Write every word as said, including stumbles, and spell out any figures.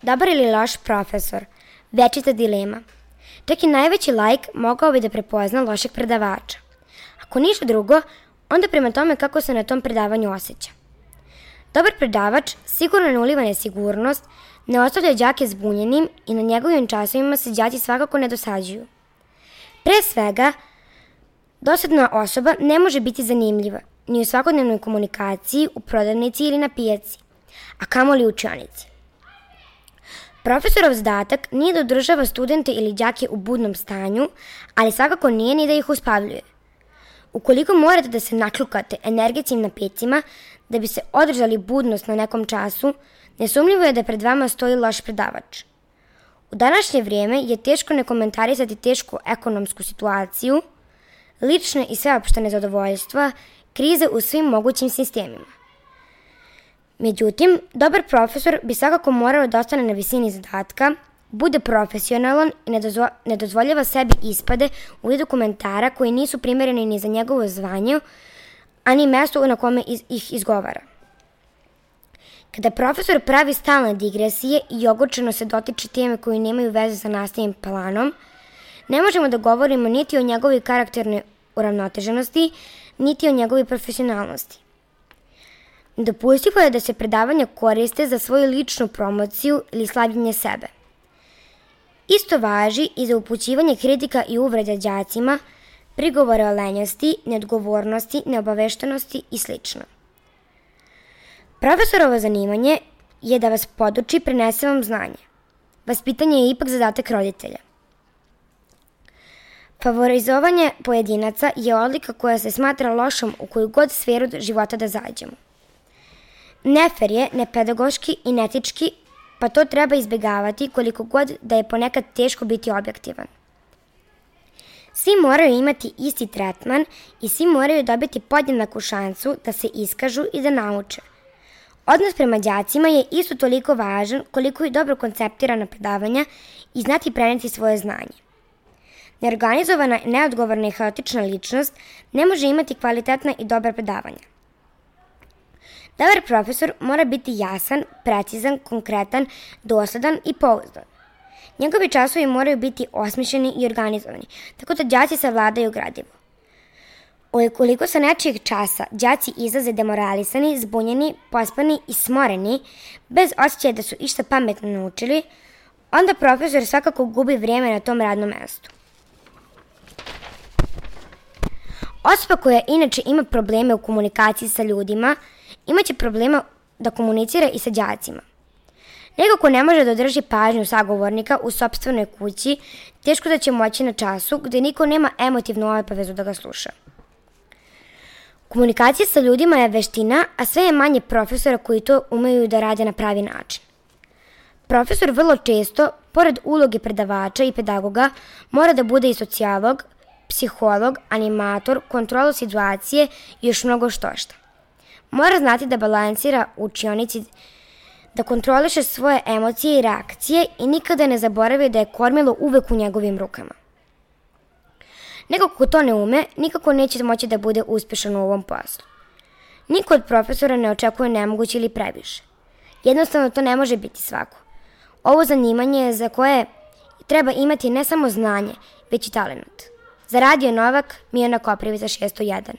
Dobar ili loš profesor? Večita dilema. Čak i najveći laik mogao bi da prepozna lošeg predavača. Ako ništa drugo, onda prema tome kako se na tom predavanju osjeća. Dobar predavač sigurno ne uliva nesigurnost, ne ostavlja đake zbunjenim i na njegovim časovima se đaci svakako ne dosađuju. Pre svega, dosadna osoba ne može biti zanimljiva ni u svakodnevnoj komunikaciji, u prodavnici ili na pijaci, a kamoli u učionici. Profesorov zadatak nije da održava studente ili đake u budnom stanju, ali svakako nije ni da ih uspavljuje. Ukoliko morate da se naklukate energetskim napitcima da bi se održali budnost na nekom času, nesumnjivo je da pred vama stoji loš predavač. U današnje vrijeme je teško ne komentarisati tešku ekonomsku situaciju, lične i sveopšte nezadovoljstva, krize u svim mogućim sistemima. Međutim, dobar profesor bi svakako morao da ostane na visini zadatka, bude profesionalan i ne dozvoljava sebi ispade u vidu komentara koji nisu primereni ni za njegovo zvanje, a ni mesto na kome ih izgovara. Kada profesor pravi stalne digresije i ogorčeno se dotiče teme koje nemaju veze sa nastavnim planom, ne možemo da govorimo niti o njegovoj karakternoj uravnoteženosti, niti o njegovoj profesionalnosti. Nedopustivo je da se predavanja koriste za svoju ličnu promociju ili slavljenje sebe. Isto važi i za upućivanje kritika i uvreda đacima, prigovore o lenjosti, neodgovornosti, neobaveštenosti i sl. Profesorovo zanimanje je da vas poduči, prenese vam znanje. Vaspitanje je ipak zadatak roditelja. Favorizovanje pojedinaca je odlika koja se smatra lošom u koju god sferu života da zađemo. Nefer je, nepedagoški i netički, pa to treba izbjegavati koliko god da je ponekad teško biti objektivan. Svi moraju imati isti tretman i svi moraju dobiti podjednaku šansu da se iskažu i da nauče. Odnos prema đacima je isto toliko važan koliko i dobro konceptirana predavanja i znati preneti svoje znanje. Neorganizovana, neodgovorna i haotična ličnost ne može imati kvalitetna i dobra predavanja. Dobar profesor mora biti jasan, precizan, konkretan, dosledan i pouzdan. Njegovi časovi moraju biti osmišljeni i organizovani, tako da đaci savladaju gradivo. Ukoliko sa nečijeg časa đaci izlaze demoralisani, zbunjeni, pospani i smoreni, bez osjećaja da su išta pametno naučili, onda profesor svakako gubi vrijeme na tom radnom mestu. Osoba koja inače ima probleme u komunikaciji sa ljudima, imaće problema da komunicira i sa đacima. Neko ko ne može da održi pažnju sagovornika u sopstvenoj kući, teško da će moći na času gde niko nema emotivnu obavezu da ga sluša. Komunikacija sa ljudima je veština, a sve je manje profesora koji to umeju da rade na pravi način. Profesor vrlo često, pored uloge predavača i pedagoga, mora da bude i socijalog, psiholog, animator, kontrolor situacije i još mnogo štošta. Mora znati da balansira u učionici, da kontroliše svoje emocije i reakcije i nikada ne zaboravi da je kormilo uvek u njegovim rukama. Neko ko to ne ume, nikako neće moći da bude uspešan u ovom poslu. Niko od profesora ne očekuje nemoguće ili previše. Jednostavno to ne može biti svako. Ovo zanimanje je za koje treba imati ne samo znanje, već i talent. Za Radio Novak, Mijana Koprivica šesto jedan.